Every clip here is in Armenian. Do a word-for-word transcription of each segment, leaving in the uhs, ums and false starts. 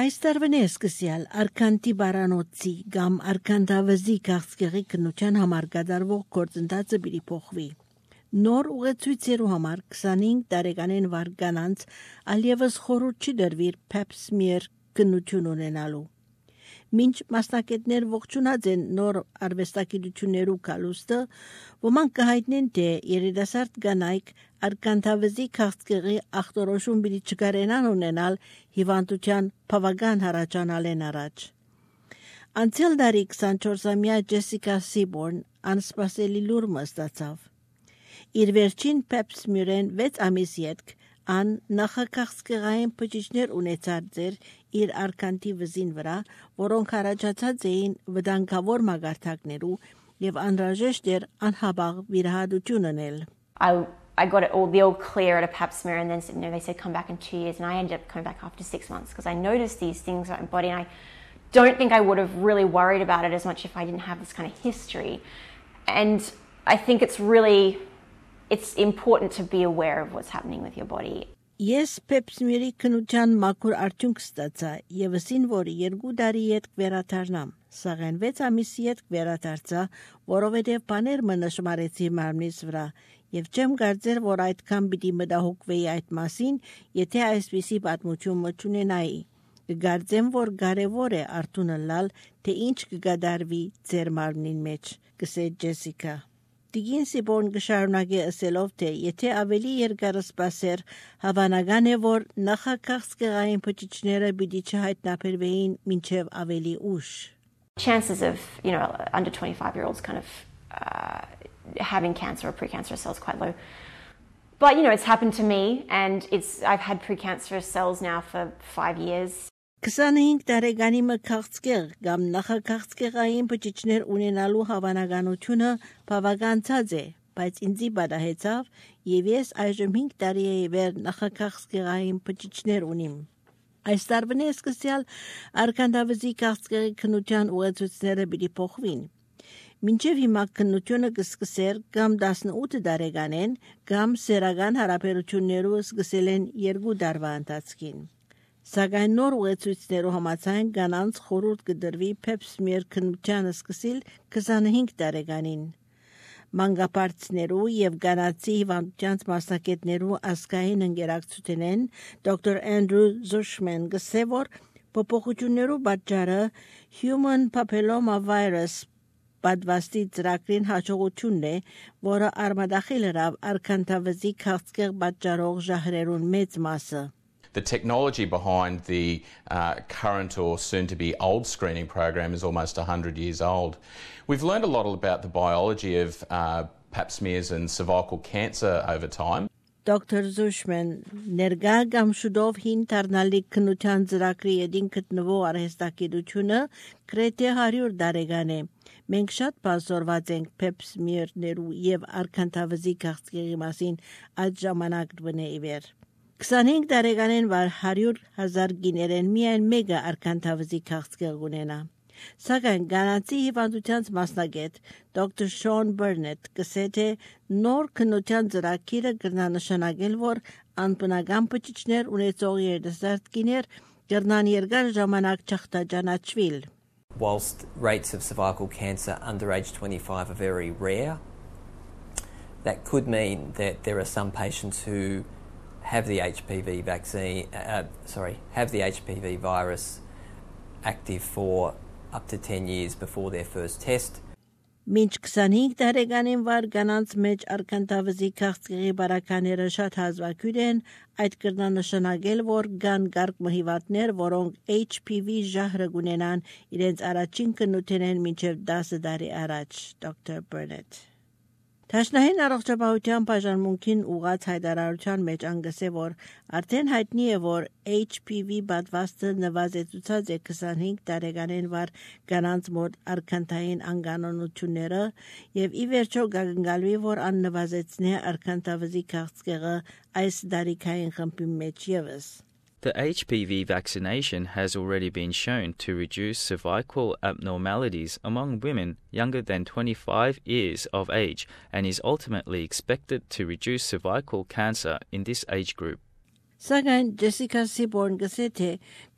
Այս տարվան է սկսյալ արքանտի բարանոցի կամ արքանտավզի քաղցկեղի քննության համար կատարվող գործընթացը պիտի փոխվի։ Նոր ուղեցույցերու համար քսանհինգ տարեկանեն վար կանանց ալևս խորհուրդ չի դրվիր pap smear քննություն ունենալու։ Մինչ մասնակիցներ ողջունած են նոր արվեստագիտություններու կալուստը, ոմանք կհայտնեն, թե երիտասարդ կանայք արքանտավզի քաղցկեղի ախտորոշում պիտի չկարենան ունենալ հիվանդության բավական հառաջանալեն առաջ։ Անցյալ դարի քսանչորսամյա Ջեսիկա Սիբորն անսպասելի լուրը ստացավ։ Իր վերջին pap smear-են վեց ամիս ետք ան նախաքաղցկեղային բջիջներ ունեցած ձեր իր արքանտի վզին վրա, որոնք առաջացած էին վտանգավոր մագարտակներու եւ անհրաժեշտ էր անհաբաղ վիրահատություն անել։ I I got it all the all clear at a pap smear and then you know, they said come back in two years and I ended up coming back after six months because I noticed these things in my body and I don't think I would have really worried about it as much if I didn't have this kind of history. And I think it's really it's important to be aware of what's happening with your body. Ես pap smear-ի քննության մաքուր արդյունք ստացա եւ ասին, որ երկու տարի հետ կվերադառնամ։ Սակայն վեց ամիսի հետ կվերադարձա, որովհետեւ բաներ մնշմարեցի մարմնիս վրա եւ չեմ կարծեր, որ այդքան պիտի մտահոգվեի այդ մասին, եթե այսպիսի պատմություն մտունենայի։ Կգարձեմ, որ կարեւոր է արդյունը լալ, թե ինչ կգադարվի ձեր մարմնին մեջ, կսե Ջեսիկա։ Տիգին Սիբորն կշարունակի ասելով, թե եթե ավելի երկար սպասեր, հավանական է, որ նախաքաղցկեղային բջիջները պիտի չհայտնաբերվեին մինչև ավելի ուշ։ Chances of, you know, under twenty-five year olds kind of uh, having cancer or precancerous cells quite low. But, you know, it's happened to me and it's I've had precancerous cells now for five years. քսանհինգ տարեկանի մքաղցկեղ կամ նախաքաղցկեղային բջիջներ ունենալու հավանականությունը բավականացած է, բայց ինձի բադահեցավ եւ ես այժմ հինգ տարի է վեր նախաքաղցկեղային բջիջներ ունիմ։ Այս տարվան է սկսյալ արքանտավզի քաղցկեղի քննության ուղեցույցները պիտի փոխվին։ Մինչև հիմա քննությունը կսկսեր կամ տասնութ տարեկանեն կամ սերական հարաբերություններով սկսել են երկու տարվա ընթացքին։ Սակայն նոր ուղեցույցներու համաձայն կանանց խորհուրդ կդրվի pap smear քննության սկսիլ քսանհինգ տարեկանին։ Մանկապարտիներու եւ կանացի հիվանդության մասնակիցներու ազգային ընկերակցությունեն դոկտոր Andrew Zushman գսե որ փոփոխություններու պատճառը human papilloma virus պատվաստի ծրագրին հաջողությունն է, որը արմադախիլ հրավ արքանտավզի քաղցկեղ պատճառող ժահրերուն մեծ մասը։ The technology behind the uh, current or soon-to-be old screening program is almost one hundred years old. We've learned a lot about the biology of uh, pap smears and cervical cancer over time. Doctor Zushman ներգա կամ շուտով հին դառնալի քննության ծրագրի յետին գտնվող արհեստագիտությունը գրեթե հարյուր տարեկան է։ Մենք շատ բազորված ենք pap smear-ներու եւ արքանտավզի քաղցկեղի մասին այդ ժամանակ բնե իվեր։ քսանհինգ տարեկանեն վար հարյուր հազար գիներեն միայն մեկը արքանտավզի քաղցկեղ ունենա։ Սակայն կանացի հիվանդության մասնագետ դոկտոր Sean Burnett կսե թե նոր քննության ծրագիրը կնշանակել, որ անբնական բջիջներ ունեցող երիտասարդ գիներ կրնան երկար ժամանակ չախտաճանաչվել։ Whilst rates of cervical cancer under age twenty-five are very rare, that could mean that there are some patients who have the H P V vaccine, uh, sorry, have the H P V virus active for up to ten years before their first test. Մինչ քսանհինգ տարեկանին վար կանանց մեջ արքանտավզի քաղցկեղի բարակաները շատ հազվագյուր են, այդ կրնանշանակել, որ կան գարկ մհիվանդներ, որոնք H P V ժահրը ունենան իրենց առաջին քննության են մինչև դասը տարի առաջ, դոկտոր Burnett։ Տաշնային առողջապահության բաժանմունքին ուղղած հայտարարության մեջ անգսե, որ արդեն հայտնի է, որ H P V պատվաստը նվազեցուցած է քսանհինգ տարեկանեն վար կանանց մոտ արքանտային անկանոնությունները եւ ի վերջո կգնալվի, որ աննվազեցնե արքանտավզի քաղցկեղը այս դարիքային խմբի մեջ եւս։ The H P V vaccination has already been shown to reduce cervical abnormalities among women younger than twenty-five years of age and is ultimately expected to reduce cervical cancer in this age group. Սակայն Ջեսիկա Սիբորն գսե թե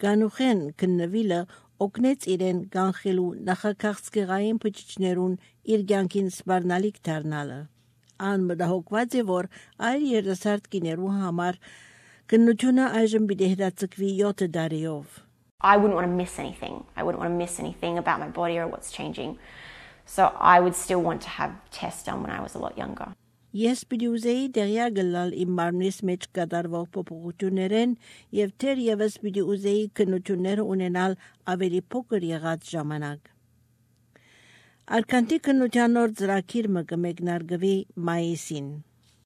գանուխեն քննվիլը օգնեց իրեն կանխելու նախաքաղցկեղային բջիջներուն իր կյանքին սպառնալիք դառնալը։ Ան մտահոգված է, որ այլ երիտասարդ կիներու համար քննությունը այժմ պիտի հետաձգվի յոթ տարիով։ I wouldn't want to miss anything. I wouldn't want to miss anything about my body or what's changing. So I would still want to have tests done when I was a lot younger. Ես պիտի ուզեի դեղյա գլալ իմ մարմնիս մեջ կատարվող փոփոխություններեն եւ թերևս պիտի ուզեի քննությունները ունենալ ավելի փոքր եղած ժամանակ։ Արքանտի քննության նոր ծրագիր մը կմեկնարկվի մայիսին։